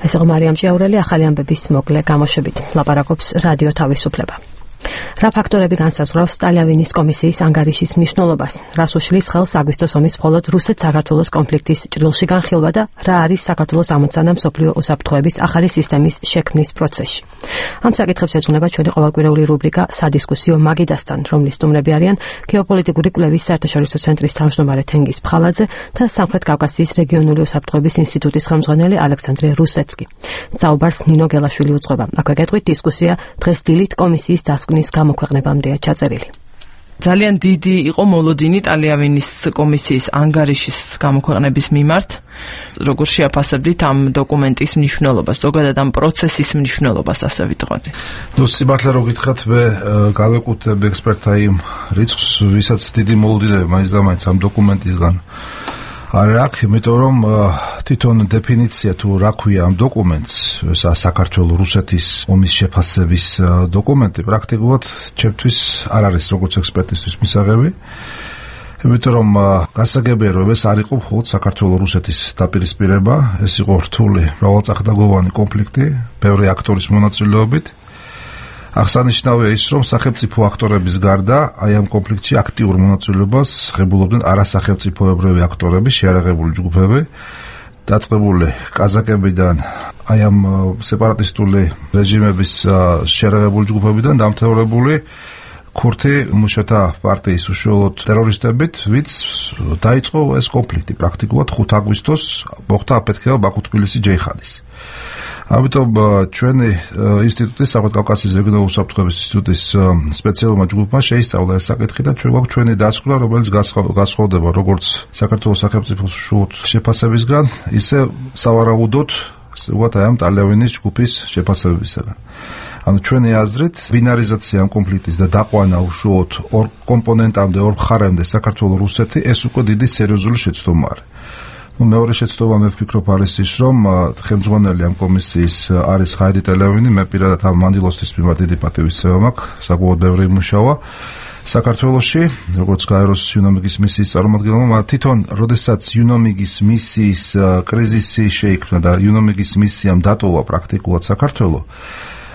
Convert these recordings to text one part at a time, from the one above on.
ეს იყო მარიამ ჭიაურელი, ახალი ამბების მოკლე გამოშვებით ლაპარაკობს რადიო თავისუფლება. რა ფაქტორები განსაზღვრავს სტალიავინის კომისიის ანგარიშის მნიშვნელობას, რას უშლის ხელს აგვისტოს ომის მხოლოდ რუსეთ-საქართველოს კონფლიქტის ჭრილში განხილვა და რა არის საქართველოს ამოცანა მსოფლიო უსაფრთხოების ახალი სისტემის შექმნის პროცესში. ამ საკითხებს ეძღვნება ჩვენი ყოველკვირეული რუბრიკა სადისკუსიო მაგიდასთან, რომლის სტუმრები არიან გეოპოლიტიკური კვლევის საერთაშორისო ცენტრის თავმჯდომარე თენგიზ ფხალაძე და სამხრეთ კავკასიის რეგიონული უსაფრთხოების ინსტიტუტის ხელმძღვანელი ალექსანდრე რუსეცკი. საუბარს ნინო გელაშვილი უძღვება. აქვე გეტყვით დისკუსია დღეს დილით კომისიის დასკვნის გამოქვეყნებამდეა ჩაწერილი. ძალიან დიდი იყო მოლოდინი სტალიავინის კომისიის ანგარიშის გამოქვეყნების მიმართ. როგორ შეაფასებდით ამ დოკუმენტის მნიშვნელობას, ზოგადად ამ პროცესის მნიშვნელობას, ასე ვიტყოდი. სიმართლე რო გითხრათ, მე გავეკუთვნებ ექსპერტთა იმ რიცხვს, ვისაც დიდი მოლოდინები მაინც და მაინც ამ დოკუმენტისგან არ აქვს, იმიტომ რომ თვითონ დეფინიცია თუ რა ქვია ამ დოკუმენტს, საქართველოს რუსეთის ომის შეფასების დოკუმენტი, პრაქტიკულად ჩემთვის არ არის როგორც ექსპერტისთვის მისაღები. იმიტომ რომ გასაგებია რომ ეს არ იყო მხოლოდ საქართველოს რუსეთის დაპირისპირება, ეს იყო რთული მრავალწახნაგოვანი კონფლიქტი, ბევრი აქტორის მონაწილეობით. აღსანიშნავია ის, რომ სახელმწიფო აქტორების გარდა აი ამ კონფლიქტში აქტიურ მონაწილეობას ღებულობდნენ არასახელმწიფოებრივი აქტორები, შეიარაღებული ჯგუფები, დაწყებული კაზაკებიდან, აი ამ სეპარატისტული რეჟიმების შეიარაღებული ჯგუფებიდან დამთავრებული ქურთი მუშათა პარტიის უშუალოდ ტერორისტებით, ვინც დაიწყო ეს კონფლიქტი პრაქტიკულად 5 აგვისტოს მოხდა აფეთქება ბაქო-თბილისი ჯეიხანის. ამიტომ ჩვენი ინსტიტუტის, სამხრეთ კავკასიის რეგიონული უსაფრთხოების ინსტიტუტის სპეციალურმა ჯგუფმა შეისწავლა ეს საკითხი და ჩვენ გვაქვს ჩვენი დასკვნა, რომელიც განსხვავდება როგორც საქართველოს სახელმწიფოს უშუალოდ შეფასებისგან, ისე სავარაუდოდ, ვთქვათ, აი ამ სტალიავინის ჯგუფის შეფასებებისგან. ანუ ჩვენი აზრით, ბინარიზაცია ამ კონფლიქტის და დაყვანა უშუალოდ ორ კომპონენტამდე, ორ მხარემდე საქართველოს რუსეთი, ეს უკვე დიდი სერიოზული შეცდომა არის. მეორე შეცდომა მე ვფიქრობ არის ის, რომ ხელმძღვანელი ამ კომისიის არის ხაიდი ტელევინი, მე პირადად ამ მანდილოსთვის მიმართ დიდი პატივისცემა მაქვს, საკმაოდ ბევრი იმუშავა საქართველოში, როგორც გაეროს იუნომიგის მისიის წარმომადგენელმა, თვითონ როდესაც იუნომიგის მისიის კრიზისი შეიქმნა და იუნომიგის მისიამ დატოვა პრაქტიკულად საქართველოს,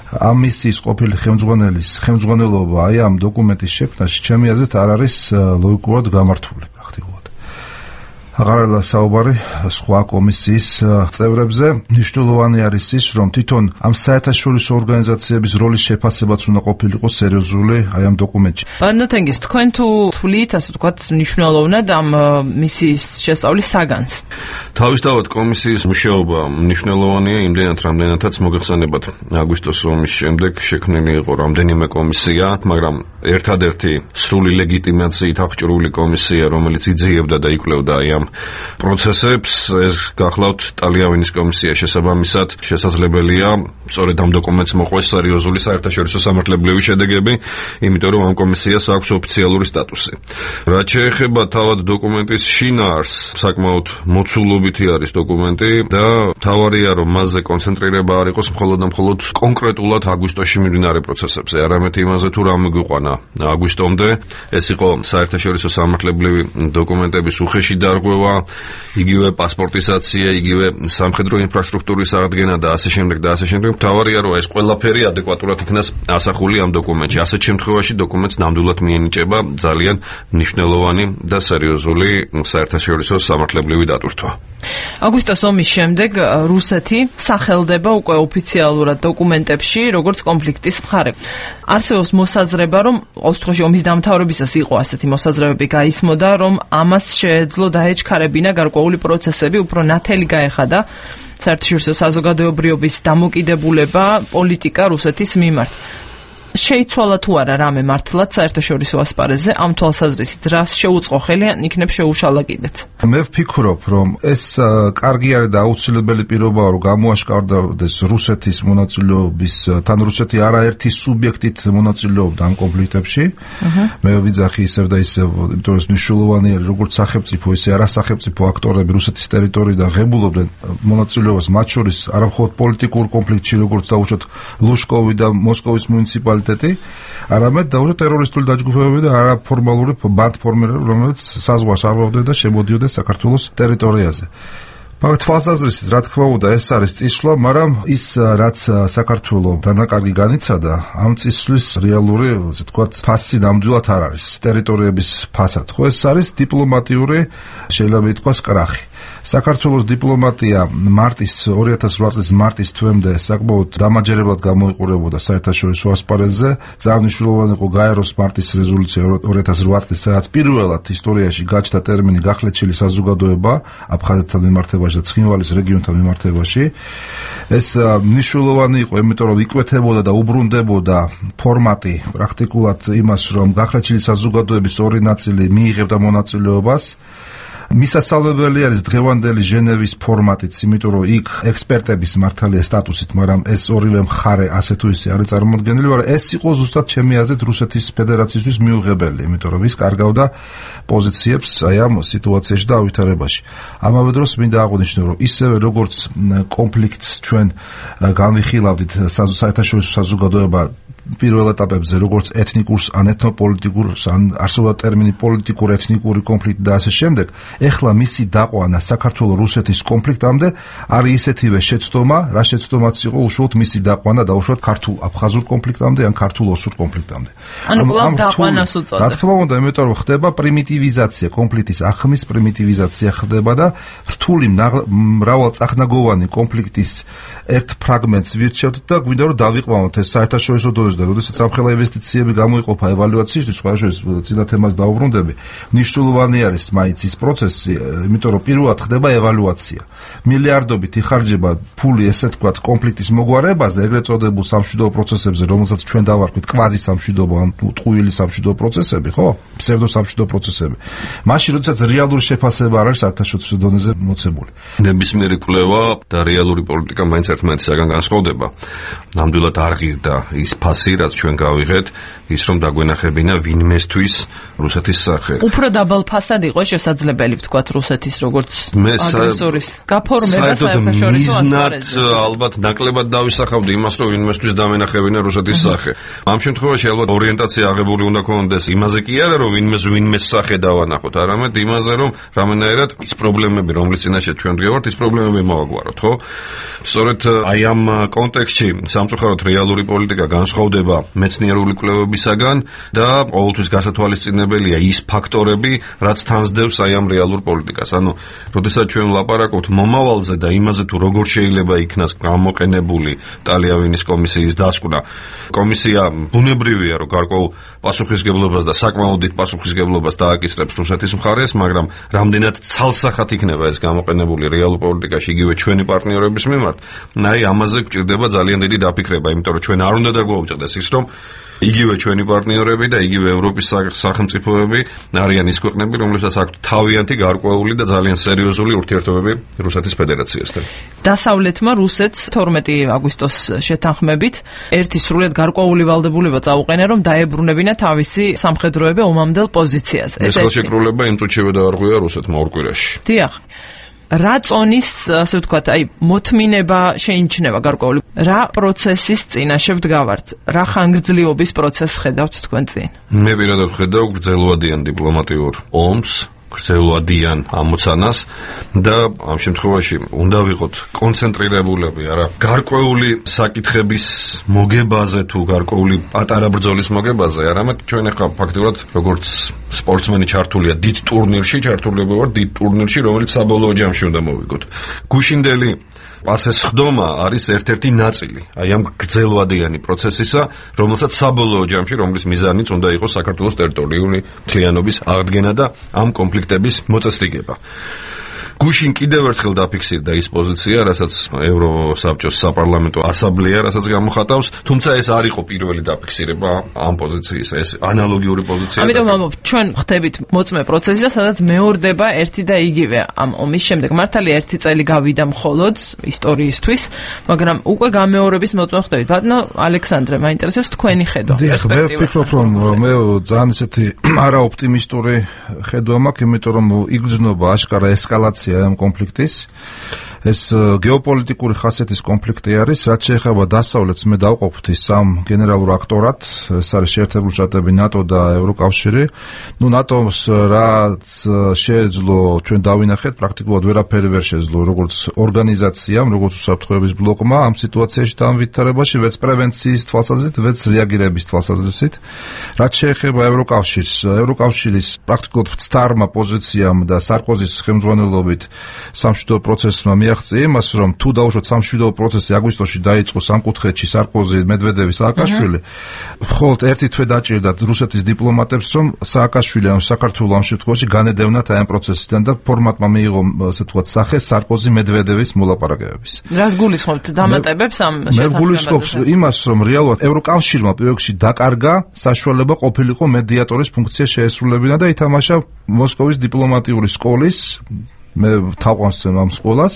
ამ მისიის ყოფილი ხელმძღვანელის ხელმძღვანელობა აი ამ დოკუმენტის შექმნაში ჩემი აზრით არ არის ლოგიკურად გამართული პრაქტიკულად. აღარაა საუბარი სხვა კომისიის წევრებზე. მნიშვნელოვანი არის ის, რომ თვითონ ამ საერთაშორისო ორგანიზაციების როლის შეფასებაც უნდა ყოფილიყო სერიოზული აი ამ დოკუმენტში. ბანოთენგის, თქვენ თუ თვლით, ასე ვთქვათ, მნიშვნელოვნად ამ მისიის შესწავლის საგანს? თავისთავად კომისიის მუშაობა მნიშვნელოვანია, იმდენად რამდენადაც მოგეხსენებათ აგვისტოს ომის შემდეგ შექმნილი იყო რამდენიმე კომისია, მაგრამ ერთადერთი სრული ლეგიტიმაციით აღჭურვილი კომისია, რომელიც იძიებდა და იკვლევდა აი ამ პროცესებს, ეს გახლავთ სტალიავინის კომისია. შესაბამისად, შესაძლებელია სწორედ ამ დოკუმენტს მოყვეს სერიოზული საერთაშორისო სამართლებრივი შედეგები, იმიტომ რომ ამ კომისიას აქვს ოფიციალური სტატუსი. რაც შეეხება თავად დოკუმენტის შინაარსს, საკმაოდ მოცულობითი არის დოკუმენტი და თავარია რომ მასზე კონცენტრირება არ იყოს მხოლოდ და მხოლოდ კონკრეტულად აგვისტოში მიმდინარე პროცესებზე, არამედ იმაზე თუ რა მიგვიყვანა აგვისტომდე. ეს იყო საერთაშორისო სამართლებრივი დოკუმენტების უხეში დარღვევა, იგივე პასპორტიზაცია, იგივე სამხედრო ინფრასტრუქტურის აღდგენა და ასე შემდეგ და ასე შემდეგ. თავარია რომ ეს ყველაფერი ადეკვატურად იქნას ასახული ამ დოკუმენტში. ასეთ შემთხვევაში დოკუმენტს ნამდვილად მიენიჭება ძალიან მნიშვნელოვანი და სერიოზული საერთაშორისო სამართლებრივი დატვირთვა. აგვისტოს ომის შემდეგ რუსეთი სახელდება უკვე ოფიციალურად დოკუმენტებში როგორც კონფლიქტის მხარე. არსებობს მოსაზრება, რომ ოსტხოში ომის დამთავრებისას იყო ასეთი მოსაზრებები გაისმოდა, რომ ამას შეეძლო დაეჩქარებინა გარკვეული პროცესები, უფრო ნათელი გაეხადა საერთაშორისო საზოგადოებრიობის დამოკიდებულება პოლიტიკა რუსეთის მიმართ. შეიცვალა თუ არა რამე მართლაც საერთაშორისო ასპარეზზე ამ თვალსაზრისით, რას შეუწყო ხელი ან იქნებ შეუშალა კიდეც? მე ვფიქრობ, რომ ეს კარგი არის და აუცილებელი პირობაა, რომ გამოაშკარდეს რუსეთის მონაწილეობის, თან რუსეთი არაერთი სუბიექტით მონაწილეობდა ამ კონფლიქტებში. მე ვიძახი ისევ და ისევ, იმიტომ რომ მნიშვნელოვანი არის როგორც სახელმწიფო, ისე არასახელმწიფო აქტორები რუსეთის ტერიტორიიდან ღებულობდნენ მონაწილეობას, მათ შორის არა მხოლოდ პოლიტიკურ კონფლიქტში, როგორც დაუშვათ ლუშკოვი და მოსკოვის მუნიციპალიტეტი, არამედ დაუშვათ ტერორისტული დაჯგუფებები და არაფორმალური ბანდფორმირებები, რომელიც საზღვარს არბავდნენ და შემოდიოდნენ საქართველოს ტერიტორიაზე. მაგ თვალსაზრისით, რა თქმა უნდა, ეს არის წისვლა, მაგრამ ის რაც საქართველოს დანაკარგი განიცადა, ამ წისვლის რეალური, ასე ვთქვათ, ფასი ნამდვილად არ არის. ტერიტორიების ფასად, ხო, ეს არის დიპლომატიური, შეიძლება ითქვას, კრახი. საქართველოს დიპლომატია 2008 წლის მარტის თვემდე საკმაოდ დამაჯერებლად გამოიყურებოდა საერთაშორისო ასპარეზზე. ძალიან მნიშვნელოვანი იყო გაეროს მარტის რეზოლუცია 2008 წლის, სადაც პირველად ისტორიაში გაჩნდა ტერმინი გახლეჩილი საზოგადოება აფხაზეთთან მიმართებაში და ცხინვალის რეგიონთან მიმართებაში. ეს მნიშვნელოვანი იყო, იმიტომ რომ იკვეთებოდა და უბრუნდებოდა ფორმატი პრაქტიკულად იმას, რომ გახლეჩილი საზოგადოების ორი ნაწილი მიიღებდა მონაწილეობას. მისასალმებელი არის დღევანდელი ჟენევის ფორმატიც, იმიტომ რომ იქ ექსპერტების მართალია სტატუსით, მაგრამ ეს ორივე მხარე ასე თუ ისე არის წარმოდგენილი, მაგრამ ეს იყო ზუსტად ჩემი აზრით რუსეთის ფედერაციისთვის მიუღებელი, იმიტომ რომ ის კარგავდა პოზიციებს აი ამ სიტუაციაში და ავითარებაში. ამავე დროს მინდა აღვნიშნო, რომ ისევე როგორც კონფლიქტს ჩვენ განვიხილავდით საერთაშორისო საზოგადოება პირველ ეტაპებზე, როგორც ეთნიკურს, ან ეთნოპოლიტიკურს, ან არსებობდა ტერმინი პოლიტიკურ ეთნიკური კონფლიქტი და ასე შემდეგ, ეხლა მისი დაყვანა საქართველოს-რუსეთის კონფლიქტამდე არის ისეთივე შეცდომა, რა შეცდომაც იყო უშუალოდ მისი დაყვანა დაუშვათ ქართულ-აფხაზურ კონფლიქტამდე ან ქართულ-ოსურ კონფლიქტამდე. ანუ კვლავ დაყვანას უწოდებს. რა თქმა უნდა, იმიტომ რომ ხდება პრიმიტივიზაცია, კონფლიქტის ახმის პრიმიტივიზაცია ხდება და რთული მრავალწახნაგოვანი კონფლიქტის ერთ ფრაგმენტს ვირჩევთ და გვინდა რომ დავიყვანოთ ეს საერთაშორისო დონეზე. და როდესაც სამხელა ინვესტიციები გამოიყოფა ევალუაციისთვის, სხვადასხვა წინა თემას დაუბრუნდები, მნიშვნელოვანი არის მაინც ის პროცესი, იმიტომ რომ პირველად ხდება ევალუაცია. მილიარდობით იხარჯება ფული, ესე ვთქვათ, კონფლიქტის მოგვარებაზე, ეგრეთ წოდებულ სამშვიდობო პროცესებზე, რომელსაც ჩვენ დავარქვით კვაზი სამშვიდობო ან ტყუილი სამშვიდობო პროცესები, ხო? ფსევდო სამშვიდობო პროცესები. მაშინ, როდესაც რეალური შეფასება არ არის საერთაშორისო დონეზე მოცემული. ნებისმიერი კვლევა და რეალური პოლიტიკა მაინც ერთმანეთისაგან განსხვავდება. ნამდვილად არ ღირდა ის ფასი, რაც ჩვენ გავიღეთ, ის რომ დაგვენახებინა ვინმესთვის რუსეთის სახე. უფრო დაბალ ფასად იყო შესაძლებელი, ვთქვათ, რუსეთის როგორც აგრესორის გაფორმება საერთაშორისო ასპარეზზე. ალბათ ნაკლებად დავისახავდი იმას, რომ ვინმესთვის დამენახებინა რუსეთის სახე. ამ შემთხვევაში ალბათ ორიენტაცია აღებული უნდა ქონდეს იმაზე კი არა, რომ ვინმეს სახე დავანახოთ, არამედ იმაზე, რომ რამენაირად ის პრობლემები, რომლის წინაშე ჩვენ დგევართ, ის პრობლემები მოვაგვაროთ, ხო? სწორედ აი ამ კონტექსტში სამწუხაროდ რეალური პოლიტიკა განსხვავდება მეცნიერული კვლევებისაგან და ყოველთვის გასათვალისწინებელია ის ფაქტორები, რაც თანსდევს აი ამ რეალურ პოლიტიკას. ანუ, როდესაც ჩვენ ვლაპარაკობთ მომავალზე და იმაზე თუ როგორ შეიძლება იქნას გამოყენებული ტალიავილის კომისიის დასკვნა. კომისია ბუნებრივია, რომ გარკვეულ პასუხისგებლობას და საკმაოდ დიდ პასუხისგებლობას დააკისრებს რუსეთის მხარეს, მაგრამ რამდენად ცალსახად იქნება ეს გამოყენებული რეალურ პოლიტიკაში იგივე ჩვენი პარტნიორების მიმართ, აი ამაზე გვჭირდება ძალიან დიდი დაფიქრება, იმიტომ რომ ჩვენ არ უნდა დაგვაუწყდეს ის, რომ იგივე ჩვენი პარტნიორები და იგივე ევროპის სახელმწიფოები არიან ის ქვეყნები, რომლებსაც აქვთ თავიანთი გარკვეული და ძალიან სერიოზული ურთიერთობები რუსეთის ფედერაციასთან. დასავლეთმა რუსეთს 12 აგვისტოს შეთანხმებით ერთი სრულიად გარკვეული ვალდებულება წაუყენა, რომ დაებრუნებინა თავისი სამხედროები ომამდელ პოზიციაზე. ეს ხელშეკრულება იმ წუთშივე დაარღვია რუსეთმა ორ კვირაში. დიახ. რა წონის, ასე ვთქვათ, აი მოთმინება შეიმჩნევა გარკვეული, რა პროცესის წინაშე ვდგავართ, რა ხანგრძლივობის პროცესს ხედავთ თქვენ წინ? მე პირადად ვხედავ გრძელვადიან დიპლომატიურ ომს, გრძელვადიან ამოცანას და ამ შემთხვევაში უნდა ვიყოთ კონცენტრირებულები არა გარკვეული საკითხების მოგებაზე თუ გარკვეული პატარა ბრძოლის მოგებაზე, არამედ ჩვენ ახლა ფაქტობრივად როგორც სპორტსმენი ჩართულია დიდ ტურნირში, ჩართულები ვართ დიდ ტურნირში, რომელიც საბოლოო ჯამში უნდა მოვიგოთ. გუშინდელი პასეს ხდომა არის ერთ-ერთი ნაწილი აი ამ გრძელვადიანი პროცესისა, რომელსაც საბოლოო ჯამში, რომლის მიზანიც უნდა იყოს საქართველოს ტერიტორიული მთლიანობის აღდგენა და ამ კონფლიქტების მოწესრიგება. გუშინ კიდევ ერთხელ დაფიქსირდა ის პოზიცია, რასაც ევროსაბჭოს საპარლამენტო ასამბლეა რასაც გამოხატავს, თუმცა ეს არ იყო პირველი დაფიქსირება ამ პოზიციის, ეს ანალოგიური პოზიცია. ამიტომ ჩვენ ხდებით მოწმე პროცესისა, სადაც მეორდება ერთი და იგივე ამ ომის შემდეგ. მართალია ერთი წელი გავიდა მხოლოდ ისტორიისთვის, მაგრამ უკვე გამეორების მოწმე ხდებით. ბატონო ალექსანდრე, მაინტერესებს თქვენი ხედვა. მე ვფიქრობ, რომ მე ძალიან ისეთი არაოპტიმისტური ხედვა მაქვს, იმიტომ რომ იგრძნობა აშკარა ესკალაცია ამ კონფლიქტის. ეს გეოპოლიტიკური ხასიათის კონფლიქტი არის, რაც შეეხება დასავლეთს, მე დავყოფთ ის სამ გენერალურ აქტორად, ეს არის შეერთებული შტატები, ნატო და ევროკავშირი. ნატოს რაც შეეძლო ჩვენ დავინახეთ, პრაქტიკულად ვერაფერი ვერ შეეძლო, როგორც ორგანიზაციამ, როგორც უსაფრთხოების ბლოკმა ამ სიტუაციაში დამვითარებაში, ვერც პრევენციის თვალსაზრისით, ვერც რეაგირების თვალსაზრისით. რაც შეეხება ევროკავშირს, ევროკავშირის პრაქტიკულად მცდარმა პოზიციამ და სარკოზის ხელმძღვანელობით სამშვიდობო პროცესმა მიაღწია იმას, რომ თუ დაუშვათ სამშვიდობო პროცესი აგვისტოში დაიწყო სამკუთხედში სარკოზი, მედვედევი, სააკაშვილი, მხოლოდ ერთი თვე დაჭირდათ რუსეთის დიპლომატებს, რომ სააკაშვილი ან საქართველოს ამ შემთხვევაში განედევნათ აი ამ პროცესიდან და ფორმატმა მიიღო, ასე ვთქვათ, სახე სარკოზი მედვედევის მოლაპარაკებების. რას გულისხმობთ დამატებებს ამ შეთანხმებაზე? მე გულისხმობ იმას, რომ რეალურად ევროკავშირმა პირველში დაკარგა საშუალება ყოფილიყო მედიატორის ფუნქცია შეესრულებინა და ითამაშა მოსკოვის დიპლომატიური სკოლის მე თავყავს ამ სკოლას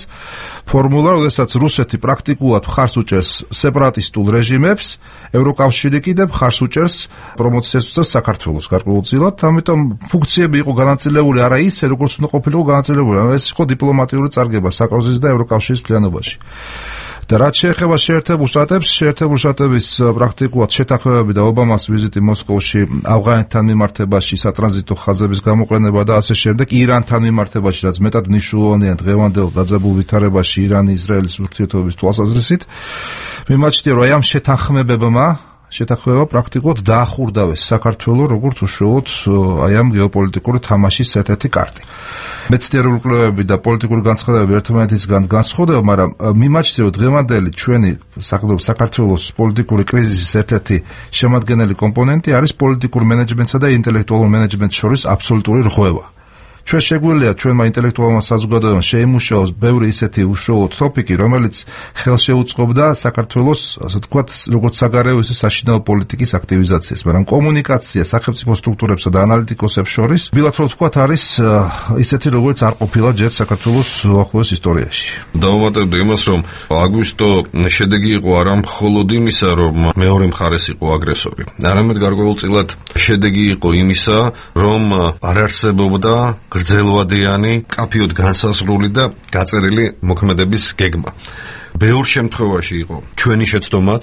ფორმულა, როდესაც რუსეთი პრაქტიკულად მხარს უჭერს სეპარატისტულ რეჟიმებს, ევროკავშირი კიდევ მხარს უჭერს პრომოციას საქართველოს გარკვეულწილად, ამიტომ ფუნქციები იყო განაწილებული არა ისე, როგორც უნდა ყოფილიყო განაწილებული, ეს იყო დიპლომატიური წარგება საკროზის და ევროკავშირის მთლიანობაში. და რაც შეეხება შეერთებულ შტატების პრაქტიკულად შეთანხმებები და ობამას ვიზიტი მოსკოვში, ავღანეთთან მიმართებაში, სატრანზიტო ხაზების გამოყენება და ასე შემდეგ, ირანთან მიმართებაში, რაც მეტად მნიშვნელოვანია დღევანდელ დაძაბულ ვითარებაში ირანი-ისრაელის ურთიერთობების თვალსაზრისით, მიმაჩნია, რომ ამ შეთანხმებებმა შეთანხმება პრაქტიკულად დაახურდავეს საქართველოს როგორც უშუალოდ აი ამ გეოპოლიტიკური თამაშის ერთ-ერთი კარტი. მეცნიერული კვლევები და პოლიტიკური განცხადებები ერთმანეთისგან განსხვავდება, მაგრამ მიმაჩნია, რომ დღევანდელი ჩვენი საქართველოს პოლიტიკური კრიზისის ერთ-ერთი შემადგენელი კომპონენტი არის პოლიტიკურ მენეჯმენტსა და ინტელექტუალურ მენეჯმენტს შორის აბსოლუტური რღვევა. ჩვენ შეგვიძლია ჩვენმა ინტელექტუალურმა საზოგადოებამ შეიმუშაოს ბევრი ისეთი უშუალო ტოპიკი, რომელიც ხელშეუწყობდა საქართველოს, ასე ვთქვათ, როგორც საგარეო, ისე საშინაო პოლიტიკის აქტივიზაციას, მაგრამ კომუნიკაცია სახელმწიფო სტრუქტურებსა და ანალიტიკოსებს შორის, ბილად რომ ვთქვათ, არის ისეთი, როგორც არ ყოფილა ჯერ საქართველოს უახლოეს ისტორიაში. დავუმატებდი იმას, რომ აგვისტო შედეგი იყო არა მხოლოდ იმისა, რომ მეორე მხარეს იყო აგრესორი, არამედ გარკვეულწილად შედეგი იყო იმისა, რომ არ არსებობდა გრძელვადიანი, კაფიოდ განსაზღვრული და გაწერილი მოქმედების გეგმა. ბევრ შემთხვევაში იყო ჩვენი შეცდომაც,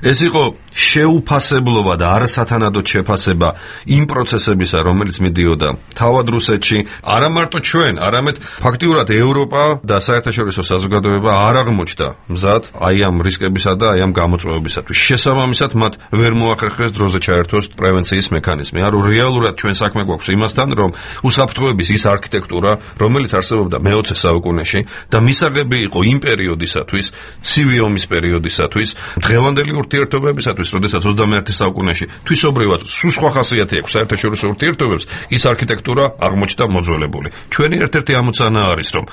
ეს იყო შეუფასებლობა და არასათანადო შეფასება იმ პროცესებისა, რომელიც მიდიოდა თავად რუსეთში, არა მარტო ჩვენ, არამედ ფაქტიურად ევროპა და საერთაშორისო საზოგადოება არ აღმოჩნდა მზად აი ამ რისკებისა და აი ამ გამოწვევებისათვის. შესაბამისად, მათ ვერ მოახერხეს დროზე ჩაერთოს პრევენციის მექანიზმი. ანუ რეალურად ჩვენ საქმე გვაქვს იმასთან, რომ უსაფრთხოების ის არქიტექტურა, რომელიც არსებობდა მე-20 საუკუნეში და მისაღები იყო იმ პერიოდისათვის, ცივი ომის პერიოდისათვის, დღევანდელი ურთიერთობებისათვის, როდესაც 21 საუკუნეში თვისობრივად სულ სხვა ხასიათი აქვს საერთაშორისო ურთიერთობებს, ის არქიტექტურა აღმოჩნდა მოძველებული. ჩვენი ერთ-ერთი ამოცანა არის, რომ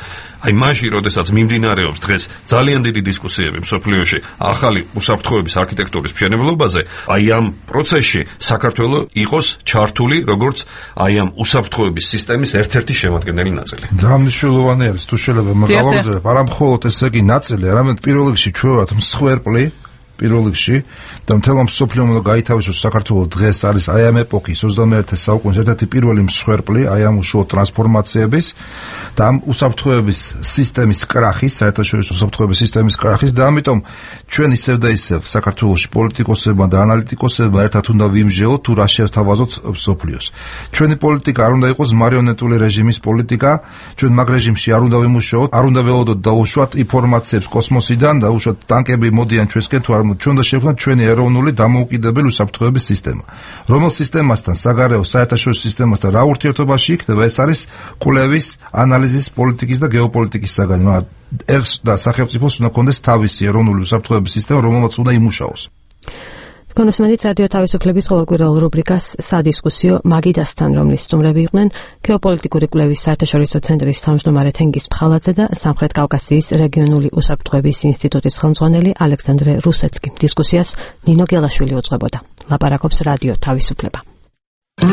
აი მაშინ, როდესაც მიმდინარეობს დღეს ძალიან დიდი დისკუსიები მსოფლიოში ახალი უსაფრთხოების არქიტექტურის მშენებლობაზე, აი ამ პროცესში საქართველოს იყოს ჩართული როგორც აი ამ უსაფრთხოების სისტემის ერთ-ერთი შემადგენელი ნაწილი. ძალიან მნიშვნელოვანი არის თუ შეიძლება მაგალითად, არა მხოლოდ ესე იგი ნაწილი, არამედ პირველ რიგში ჩვენ ვართ მსხვერპლი პირველ რიგში და მთელ მსოფლიომ უნდა გაითავისოს საქართველოს დღეს არის აი ამ ეპოქის 21 საუკუნის ერთ-ერთი პირველი მსხვერპლი აი ამ უშუალო ტრანსფორმაციების და ამ უსაფრთხოების სისტემის კრახის, საერთაშორისო უსაფრთხოების სისტემის კრახის და ამიტომ ჩვენ ისევ და ისევ საქართველოში პოლიტიკოსებმა და ანალიტიკოსებმა ერთად უნდა ვიმსჯელოთ თუ რა შევთავაზოთ მსოფლიოს. ჩვენი პოლიტიკა არ უნდა იყოს მარიონეტული რეჟიმის პოლიტიკა, ჩვენ მაგ რეჟიმში არ უნდა ვიმუშაოთ, არ უნდა ველოდოთ დაუშვათ ინფორმაციებს კოსმოსიდან და უშუალოდ ტანკები მოდიან ჩვენსკენ თუ არ ჩვენ და შევქმნათ ჩვენი ეროვნული დამოუკიდებელი უსაფრთხოების სისტემა. რომელ სისტემასთან, საგარეო საერთაშორისო სისტემასთან რა ურთიერთობაში იქნება, ეს არის კვლევის, ანალიზის, პოლიტიკის და გეოპოლიტიკის საგანი. ერთს და სახელმწიფოს უნდა კონდეს თავისი ეროვნული უსაფრთხოების სისტემა, რომელმაც უნდა იმუშაოს. კონსუმენტით რადიო თავისუფლების ყოველკვირეულ რუბრიკას სადისკუსიო მაგიდასთან, რომლის სტუმრები იყვნენ გეოპოლიტიკური კვლევის საერთაშორისო ცენტრის თავმჯდომარე თენგიზ ფხალაძე და სამხრეთ კავკასიის რეგიონული უსაფრთხოების ინსტიტუტის ხელმძღვანელი ალექსანდრე რუსეცკი. დისკუსიას ნინო გელაშვილი უძღვებოდა. ლაპარაკობს რადიო თავისუფლება.